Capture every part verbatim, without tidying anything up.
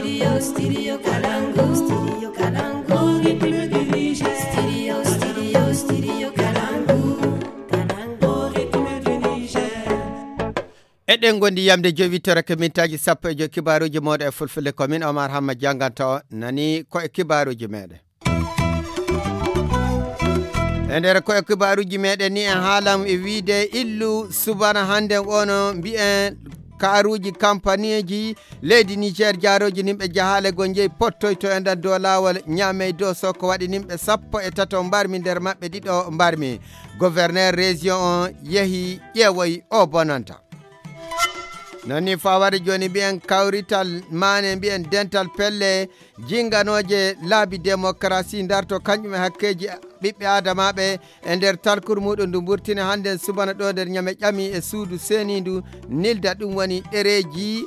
Studio, studio Kalangu, studio Kalangu, rythme du Niger. Studio, studio, studio Kalangu, Kalangu, rythme du Niger. Eɗen ngondi yamde jowi torake mintaaji sappo e joy kibaaruuji mooɗo e fulfulde ko min Omar Hamma jannganta o nani ko e kibaaruuji meɗen. E nder ko e kibaaruuji meɗen ni en haalan e wiide illu subana hannde ono mbiyen kaaruuji kampaniiji leydi Niger jaarooji nimɓe jahaale go njeyi pottoyto e nder dow laawol ñaamey dow so ko waɗi nimɓe sappo e tato mbarmi nder maɓɓe ɗiɗo mbarmi. Gouverneur région on yehi ƴeewoyi o bonanta. Non ni fawade jooni mbiyen kawrital maane mbiyen dental pelle jinganooje laabi démocratie ndarto kañum e hakkeeji ɓiɓɓe aadamaaɓe e nder talkuru muɗum ndu mburtini hannden subana ɗo nder ñame ƴami e suudu seeniindu nilda ɗum woni ɗereeji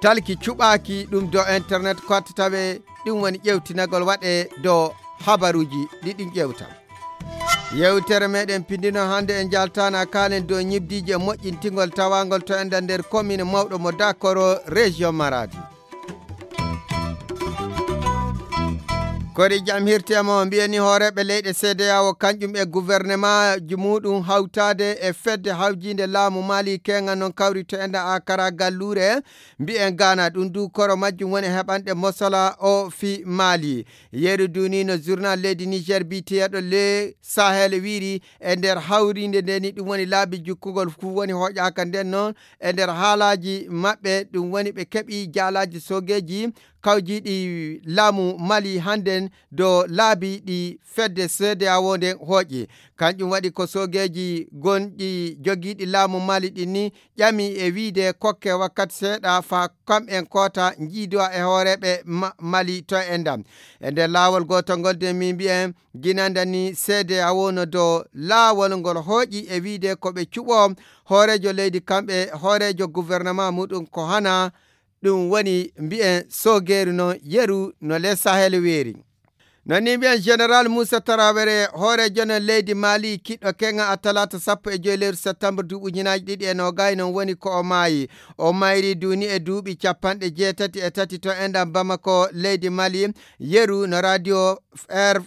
talki cuɓaaki ɗum do internet kottataɓe ɗum woni ƴewtinagol waɗe do habaruuji ɗi ɗum ƴewta. Yewtere meɗen pindino hannde en jaltana kaalen dow ñibdiiji e moƴƴintingol tawangol to enda nder commune mawɗo mo Dakoro région Maradi. Kori jam hirte mo mbiyani hooreeɓe leyɗe C D A O kanƴum e gouvernement ji muɗum hawtaade e fedde hawjiinde laamu Mali kenga non kawri to enda akara galluure mbiyen Ghana ɗum du koro majjum woni heɓanɗe mosala o fi Mali. Yeru dunino journal leydi Niger biyeteeɗo Le Sahel wiiri e nder hawrinde nde ni ɗum woni laabi jukkugol fuu woni hoƴaaka nden noon e nder haalaaji maɓɓe ɗum woni ɓe keɓi jaalaaji sogeeji kawjiiɗi laamu Mali hannden do laabi ɗi fedde C D A O nden hooƴi. Kanƴum waɗi ko sogeeji gonɗi jogiiɗi laamu Mali ɗin ni ƴami e wiide kokke wakkati seeɗa faa kam'en koota njiidowa e hooreeɓe Ma- Mali to e ndam. E nder laawol gootol ngol de min mbiyen ginanda ni C D A O no do laawol ngol hooƴi e wiide ko ɓe cuɓo hooreejo leydi kamɓe hooreejo gouvernement muɗum ko hana ɗum woni mbiyen sogeeru no yeru no le Sahel weeri. Non ni mbiyen Général Moussa Traoré hooreejo no leydi Mali kiɗɗo kenga a talaata sappo e joy lewru septembre duuɓi ujunaaji ɗiɗi e noogay non woni ko o maayi. O mayri duuni e duuɓi capanɗe jeetati e tati to enɗam Bamako leydi Mali yeru no radio R-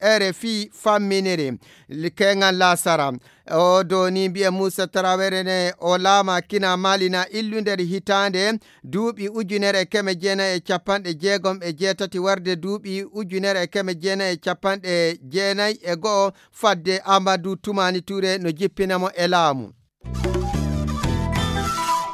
R F I famminiri kengal lasara. O doni mbiye Moussa Traoré ne o laama kina Mali na illu nder hitaande duuɓi ujunere e keme jeenayi e capanɗe jeegom e jeetati warde duuɓi ujunere e keme jeenayi e capanɗe jeenayi e go'o fadde Amadou Toumani Touré no jippina mo e laamu.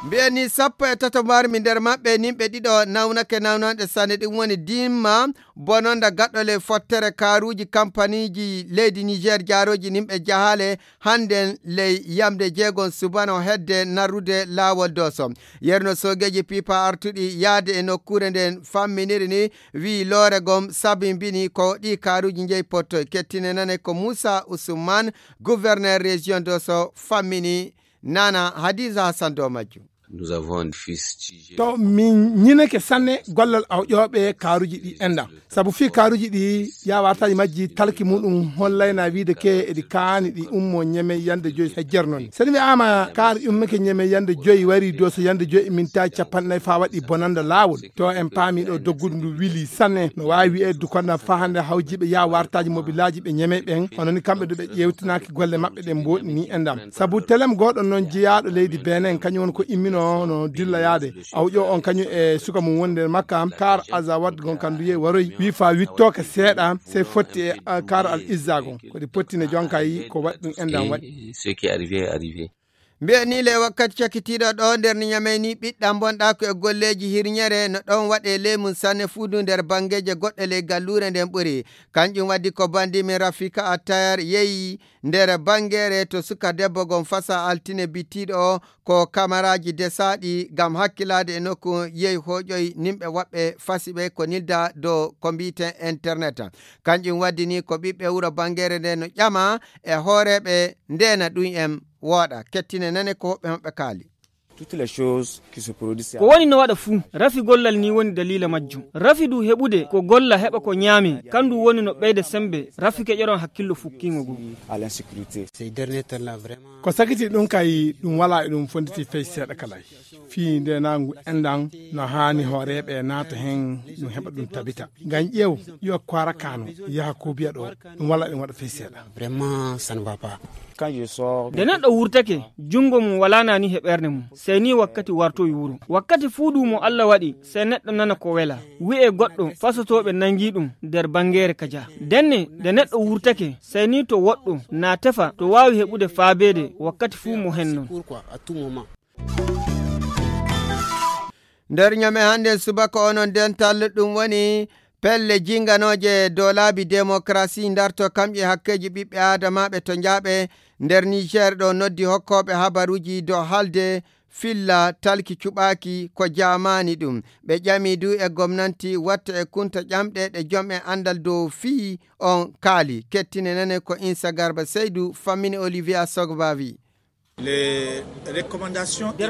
Mbiyen ni sappo e tato mbarmi nder maɓɓe nimɓe ɗiɗo nawnake nawnanɗe sanne ɗum woni dimma bononda gaɗɗole fottere kaaruuji kampaniiji leydi Niger jaarooji nimɓe jahaale hannden ley yamde jeegon subano hedde narrude laawol doso. Yerno soogeeji pipa artuɗi yaade e nokkuure nden famminiri ni wii loore gom sabimbini ko ɗi kaaruuji njeyi pottoy kettine nane ko Moussa Ousmane gouverneur région doso fammini nana Hadiza Hassan dow majjum. Nous avons un déficit. To min ñineke sanne gollal awƴooɓe kaaruuji ɗi enda sabu fii kaaruuji ɗi yawartaji majji talki muɗum hollayna wiide ke eɗi kaani ɗi ummo ñeme yande joyi hejjer noon seni mi ama kaar ummeke ñeme yande joyi wari doso yande joyi min tawi capanɗe nayi fa waɗi bonanda laawol to en paami ɗo doggudu ndu wili sanne no wawi wi'e dukanda fa hande hawjiɓe ya wartaji mobilaji ɓe ñeme ɓen ononi kamɓe do ɓe ƴewtinaki golle maɓɓe ɗen mboɗi ni e ndam sabu telem goɗo noon jeyaɗo leydi benen kañum woni ko immino no dilla yaade awƴo on kañum e suka mum woni nder makka kar azawad gon kam nduye waroy wi fa wittoke seeɗa sey fotti e kar al izza gon koɗi pottine jonka yi ko waɗi ɗum e ndam waɗi. Ce qui est arrivé est arrivé. Mbiyen ni le wakkati cakitiiɗo ɗo nder ni ñamey ni ɓiɗɗam bonɗa ko e golleeji hirñere no ɗon waɗe ley mum sanne fuudu nder banngeeje goɗɗe ley galluure nden ɓuri kanƴum waddi ko bandi min rafika attayar yeyi nder banngeere to suka debbo gon fasa altine bittiiɗo o ko kamaraaji desaaɗi ngam hakkilaade e nokku yehi hooƴoyi nimɓe woɓɓe fasi ɓe ko nilda dow ko mbiyeten internet. Kanƴum waddi ni ko ɓiɓɓe wuro banngeere nde no ƴama e hooreeɓe ndeena ɗum en wooɗa kettine nane ko hoɓɓe hoɓɓe kaali. Ko woni no waɗa fuu, rafi gollal ni woni daliila majjum. Rafi du heɓude ko golla heɓa ko ñaami, kandu woni no ɓeyda sembe, rafi keƴoron hakkillo fukkiingo goo. Ko sakiti ɗum kay ɗum walaa e ɗum fonditi fey seeɗa kala. Fii nde nangu enɗan no haani hooreeɓe naata heen ɗum heɓa ɗum tabita. Ngam ƴeew yo koora kaano yaha ko biya ɗo ɗum walaa ɗum waɗa fey seeɗa. Nde neɗɗo wurtake, junngo mum walaa naani he ɓernde mum, sey ni wakkati wartowi wuro. Wakkati fuu du mo Alla waɗi, sey neɗɗo nana ko wela. Wi'ee goɗɗo fasotooɓe nangii ɗum nder banngeere kaja. Ndenne, nde neɗɗo wurtake, sey ni to woɗɗo, naa tefa to waawi heɓude faabeede wakkati fuu mo hennon. Nder ñame hannde subaka onon dental ɗum woni pelle jinganooje dow laabi démocratie ndarto kam e hakkeeji ɓiɓɓe aadamaaɓe to njaaɓe nder Niger ɗo noddi hokkooɓe habaruuji dow haalde filla talki cuɓaaki ko jaamaani ɗum. Ɓe ƴami du e gomnanti watta e kunta ƴamɗe ɗe jom e anndal dow fii on kaali. Kettine nane ko Insa Garba Seydu fammini Olivier Asogbavi. Nder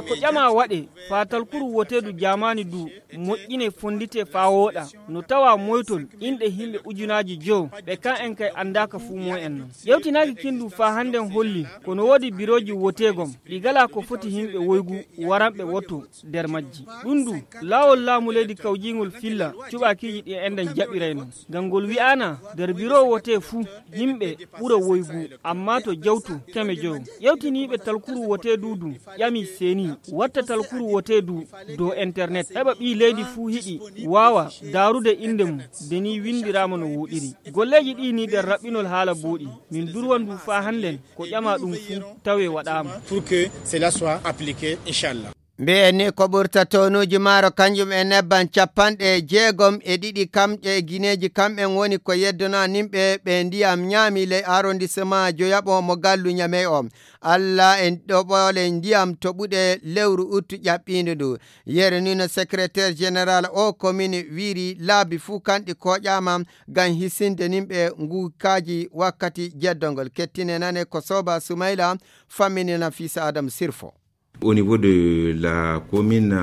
ko ƴama waɗe faa talkuru woteedu jaamaani du moƴƴine fondite faa wooɗa, no tawa moytol inɗe himɓe ujunaaji jowo ɓe kan en kay anndaaka fuu moy en non. Ƴewtinaaki kin du faa hannden holli ko no woodi birooji woteegom ɗi galaa ko foti himɓe woygu waranɓe woto nder majji. Ɗum du laawol laamu leydi kawjiingol filla cuɓaakiiji ɗi enɗen jaɓiray non. Ngam ngol wi'aana nder biro wote fuu yimɓe ɓura woygu, amma to jawtu keme jowo. Ƴewtiniiɓe talkuru wote du du ƴami seeni watta talkuru wote du dow internet heɓa ɓii leydi fuu hiɗi waawa daarude innde mum de ni winndiraama no wooɗiri. Golleeji ɗii ni nder raɓɓinol haala booɗi min durwan du faa hannden ko ƴama ɗum fuu tawe waɗaama. Pour que cela soit appliqué inchallah. Mbiyen ni ko ɓurta toonuuji maaro kanjum e nebban capanɗe jeegom e ɗiɗi kamƴe e gineeji kamɓen woni ko yeddonaa nimɓe ɓe ndiyam ñaami ley arrondissement joyaɓo mo gallu ñamey o. Alla e ɗoɓoole ndiyam toɓuɗe lewru uttu ƴaɓɓiindu ndu. Yere ni no secrétaire général o commune wiiri laabi fuu kanɗi kooƴaama ngam hisinde nimɓe nguukaaji wakkati jeddongol. Kettine nane ko Soba Sumayla fammini Nafisa Adam Sirfo. Au niveau de la commune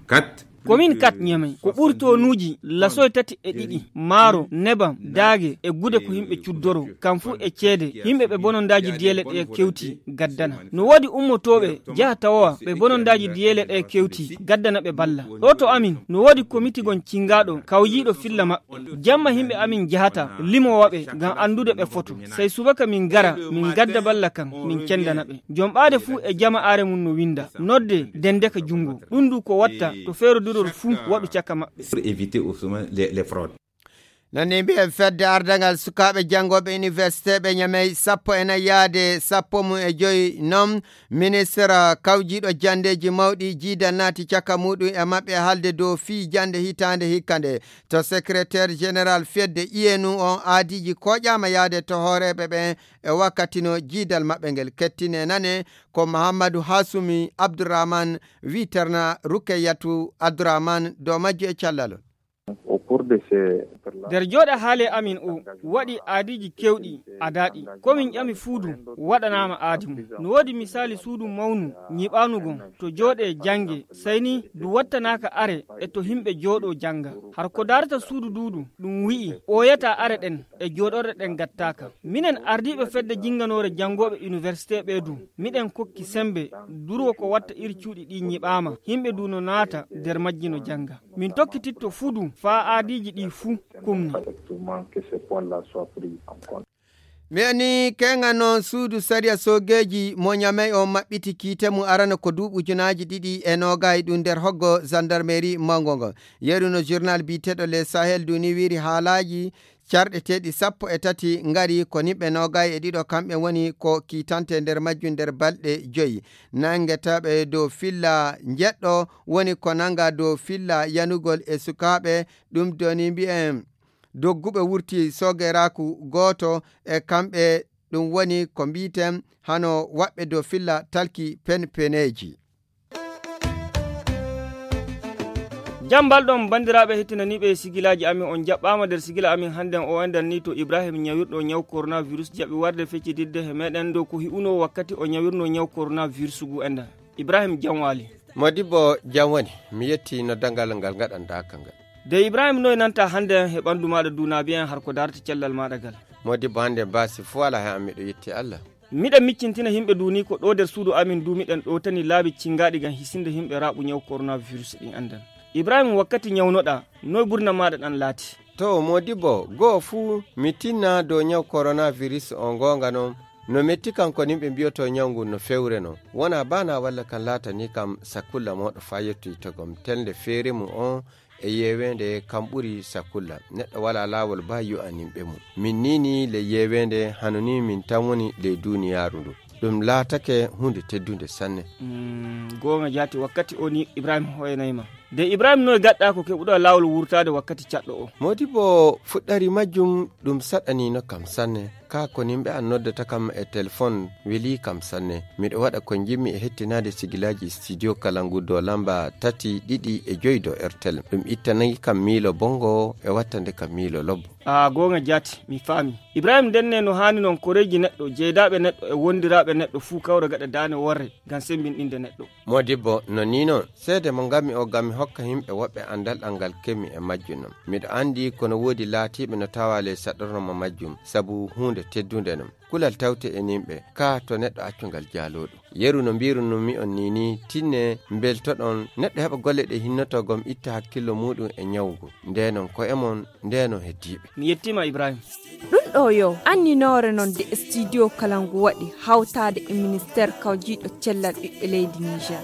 quatre. Komin kat ñamey ko ɓuri toonuuji lasoy tati e ɗiɗi maaro nebam daage e gude ko yimɓe cuddoro kam fuu e ceede yimɓe ɓe bonondaaji diyeele ɗe kewti gaddana. No woodi ummotooɓe njaha tawowa ɓe bonondaaji diyeele ɗe kewti gaddana ɓe balla. Ɗo to amin no woodi komitigon cinngaaɗo kawjiiɗo filla maɓɓe. Jamma yimɓe amin njahata limowa ɓe ngam anndude ɓe foto. Sey subaka min ngara min ngadda balla kan min cenndana ɓe. Jom ɓaade fuu e jama are mum no winnda nodde ndenndeka junngo. Ɗum du ko watta to feerodirol fuu waɗu caka maɓɓe. Pour éviter au sommet les, les fraudes. Nani mbiyen fedde ardangal sukaaɓe janngooɓe université ɓe ñamey sappo e nayi yaade sappo mum e joyi noon ministre kawjiiɗo janndeeji mawɗi jiidal naati caka muɗum e maɓɓe haalde dow fii jannde hitaande hikka nde. To secrétaire général fedde iyenu on aadiiji kooƴaama yaade to hooreeɓe ɓen e wakkati no jiidal maɓɓe ngel kettine nane ko Mahammadu Hasumi Abdurrahman wiiterna Rukeyatu Abdurrahman dow majju e callalol. Nder jooɗa haale amin o waɗi aadiiji keewɗi adaaɗi. Ko min ƴami fuu du waɗanaama aadi mum. No woodi misaali suudu mawnu ñiɓaanu gon to jooɗee jannge sey ni du wattanaaka are e to himɓe jooɗoo jannga. Har ko daarata suudu duudu ɗum wi'i ɓooyata are ɗen e jooɗorɗe ɗen gattaaka. Minen ardiiɓe fedde jinnganoore janngooɓe iniwersite ɓee du miɗen kokki semmbe durwo ko watta iri cuuɗi ɗi ñiɓaama yimɓe du no naata nder majji no jannga. Min tokkititto fuu du faa aadiiji ɗii fuu kumni. Mi anii keŋa noon suudu sariya soogeeji mo ñamey on maɓɓiti kiite mum arano ko duuɓi ujunaaji ɗiɗi e noogaay ɗum nder hoggo zandarmeri mawngo ngo. Yeru no journal biyeteeɗo le sahel duni wiiri haalaaji carɗeteeɗi sappo e tati ngari ko nimɓe noogaay e ɗiɗo kamɓe woni ko kiitante nder majjum nder balɗe joyi. Nanngetaaɓe dow filla njeɗɗo woni ko nannga dow filla yanugol e sukaaɓe. Ɗum doni mbiyen dogguɓe wurti sogeraaku gooto e kamɓe ɗum woni ko mbiyten hano waɓɓe dow filla talki penpeneeji. Jam mbalɗon banndiraaɓe hettinaniiɓe sigilaaji amin on jaɓɓaama nder sigila amin hannden o enɗan ni to Ibrahim ñawirɗo ñaw coronavirus jaɓi warde feccitidde he meɗen dow ko hi'unoo wakkati o ñawirnoo ñaw coronavirus ngu enɗan. Ibrahim jam waali. Modibbo, jam woni. Mi yetti no dangal ngal ngaɗanɗaa ka ngal. De Ibrahim, noy nanta hannde e ɓanndu maaɗa duunaabi en har ko darata cellal maaɗa gal? Modibbo, hannde baasi fuu alaa he am, miɗo yetti Allah. Miɗen miccintina yimɓe duuni ko ɗo nder suudu amin duumiɗen ɗo tani laabi cinngaaɗi ngam hisinde yimɓe raaɓu ñaw coronavirus ɗin anndan. Ibrahim, wakkati ñawnoɗaa, noy burna maaɗa ɗan laati? To, Modibbo, goo fuu mi tinna dow ñaw coronavirus o, goonga non, no metti kam ko yimɓe mbiyoto ñaw ngun no fewre non. Wona bana walla kam laatani kam sakulla mooɗo faa yettoyi to gom telde feere mum on e yeeweende kam ɓuri sakulla. Neɗɗo walaa laawol ba yu'aninɓe mum. Min nii nii le yeeweende hano nii min tan woni le duuniyaaru ndu. Ɗum laatake huunde teddunde sanne. Mm, goonga jaati, wakkati o ni Ibrahim hoyanay ma. De Ibrahim, noy gaɗɗaa ko keɓuɗaa laawol wurtaade wakkati caɗɗo o? Modibbo, fuɗɗari majjum ɗum saɗaniino kam sanne. Kaa ko nimɓe an noddata kam e telefon welii kam sanne. Miɗo waɗa ko njimmi e hettinaade sigilaaji studio kala ngu dow lamba tati ɗiɗi e joy dow Airtel. Ɗum ittanayi kam miilo bongo e wattande kam miilo lobbo. A goonga jaati, mi faami. Ibrahim, ndenne no haani non koreeji neɗɗo, jeydaaɓe neɗɗo e wondiraaɓe neɗɗo fuu kawra gaɗa daane worre ngam semmbinɗinde neɗɗo. Modibbo, no nii non, seede mo ngammi o ngam mi hokka yimɓe woɓɓe anndal ɗal ngal kemmi e majjum non. Miɗo anndi kono woodi laatiiɓe no tawa ley saɗorno mo majjum, sabu huunde teddunde non. Kulal tawte e nimɓe, kaa to neɗɗo accu ngal jaalooɗo. Yeru no mbiirunumi on nii nii, tinne mbeltoɗon, neɗɗo heɓa golle ɗe hinnoto gom itta hakkillo muuɗum e ñaw ngu. Ndeenon ko'e mon, ndeenon heddiiɓe. Mi yettiima Ibrahim. Ɗum ɗo yo anninoore non de studio kala ngu waɗi hawtaade e ministeer kawjiiɗo cellal ɓiɓɓe leydi Niger.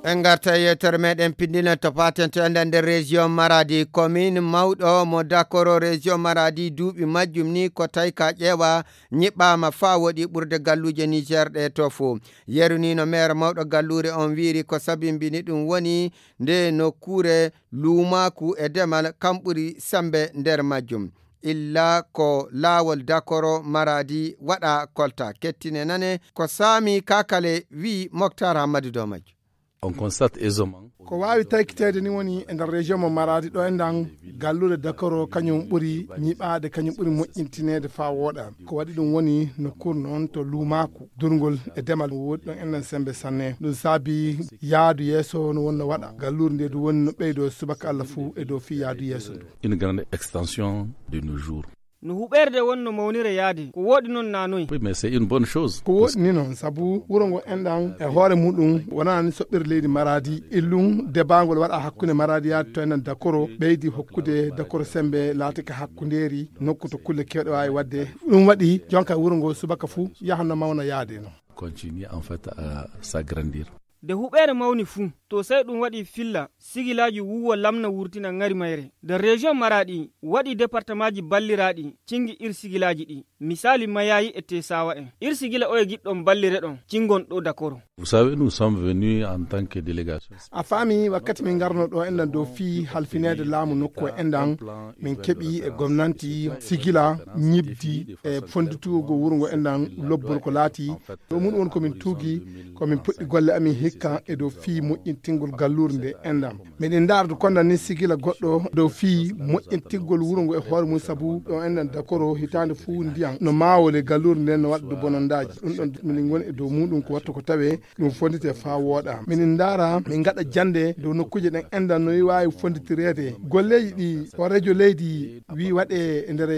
En ngarta e yewtere meɗen pinndinal to paten to enɗan nder région Maradi. Commune mawɗo mo Dakoro région Maradi duuɓi majjum ni ko tawi ka ƴeewa ñiɓɓaama faa woɗi ɓurde galluuje Niger ɗe to fo. Yeru ni no maire mawɗo galluure on wiiri ko sabimbini ɗum woni nde nokkuure luumaaku e demal kam ɓuri sembe nder majjum. Illa ko laawol Dakoro Maradi waɗa kolta. Kettine nane ko Sami Kakale wi Moktar Hammadi dow majjum. On constate aisément. Ko waawi taykiteede ni woni e nder région mo Maradi ɗo enɗan galluure Dakoro kañum ɓuri ñiɓaade, kañum ɓuri moƴƴintineede faa wooɗa. Ko waɗi ɗum woni nokkuure noon to luumaaku, durngol e demal woodi ɗon enɗan sembe sanne. Ɗum saabi yaadu yeeso no wonno waɗa. Galluure nde du woni no ɓeydo subaka Allah fuu e dow fii yaadu yeeso ndu. Une grande extension de nos jours. No huɓeerde won no mawnira yaade, ko wooɗi noon naa noy? Oui, mais c'est une bonne chose. Ko wooɗi ni noon, sabu wuro ngo enɗan e hoore muɗum wonani soɓɓere leydi Maradi. Illum debaangol waɗa hakkunde Maradi yaade to enɗan Dakoro, ɓeydi hokkude Dakoro sembe laatike hakkundeeri nokku to kulle keewɗe waawi waɗde. Ɗum waɗi jonka wuro ngo subaka fuu yaha no mawna yaade noon. Continue en fait à s'agrandir. Nde huɓeere mawni fuu, to sey ɗum waɗi filla, sigilaaji wuuwa lamna wurtina ŋari mayre. Nde région Maradi waɗi départemaaji balliraaɗi, cingi ir sigilaaji ɗi. Misaali Mayayi e Tesawa en. Ir sigila oye giɗɗon ballire ɗon, cingon ɗo Dakoro. Vous savez, nous sommes venus en tant que délégation. A faami, wakkati min ngarno ɗo enɗan dow fii halfineede laamu nokku e enɗan, min keɓi e gomnanti sigila ñibdi e fonditugo wuro ngo enɗan lobbol ko laati. Ɗo mun won ko min tuugi, ko min puɗɗi golle amin hikka e dow fii moƴƴintingol galluure nde enɗan. Miɗen ndaara du konda ni sigila goɗɗo dow fii moƴƴintingol wuro ngo e hoore mum, sabu ɗo enɗan Dakoro hitaande fuu ndiyan no maawole galluure nden no waɗa du bonondaaji. Ɗum ɗon minin ngoni e dow muɗum ko wattu ko tawe ɗum fondite faa wooɗa. Minin ndaara, min ngaɗa jannde dow nokkuuje ɗen enɗan no waawi fonditireede. Golleeji ɗi ko rejo leydi wi waɗe e nder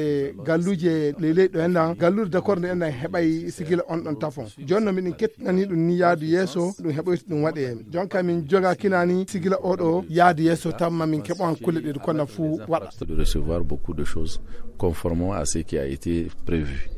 galluuje ley leydi ɗo enɗan, galluure Dakoro nde enɗan heɓay sigila on ɗon tafon. Jooni no miɗen kettinani ɗum ni yaadu yeeso, ɗum heɓoyta ɗum waɗe. Jonka min joga kinani sigila oɗo yaadu yeeso, tamma min keɓo han kulle ɗe du konda fuu waɗa. De recevoir beaucoup de choses conformément à ce qui a été prévu.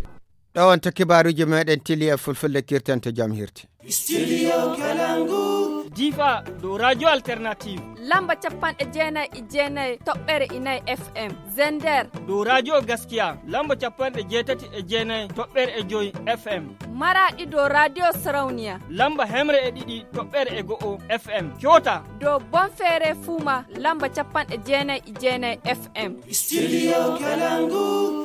Ɗo on to kibaaruuji meɗen tili e fulfulde kirtanto jam hirti. Studio Kalangu. Difa dow Radio Alternative. Lamba capanɗe jeenayi e jeenayi toɓɓere inayi F M. Zender. Dow Radio Gaskiya. Lamba capanɗe jeetati e jeenayi toɓɓere e joy F M. Maraɗi dow Radio Sarauniya. Lamba hemre e ɗiɗi toɓɓere e go'o F M. Kyota. Dow Bonfere Fuma. Lamba capanɗe jeenayi e jeenayi F M. Studio Kalangu.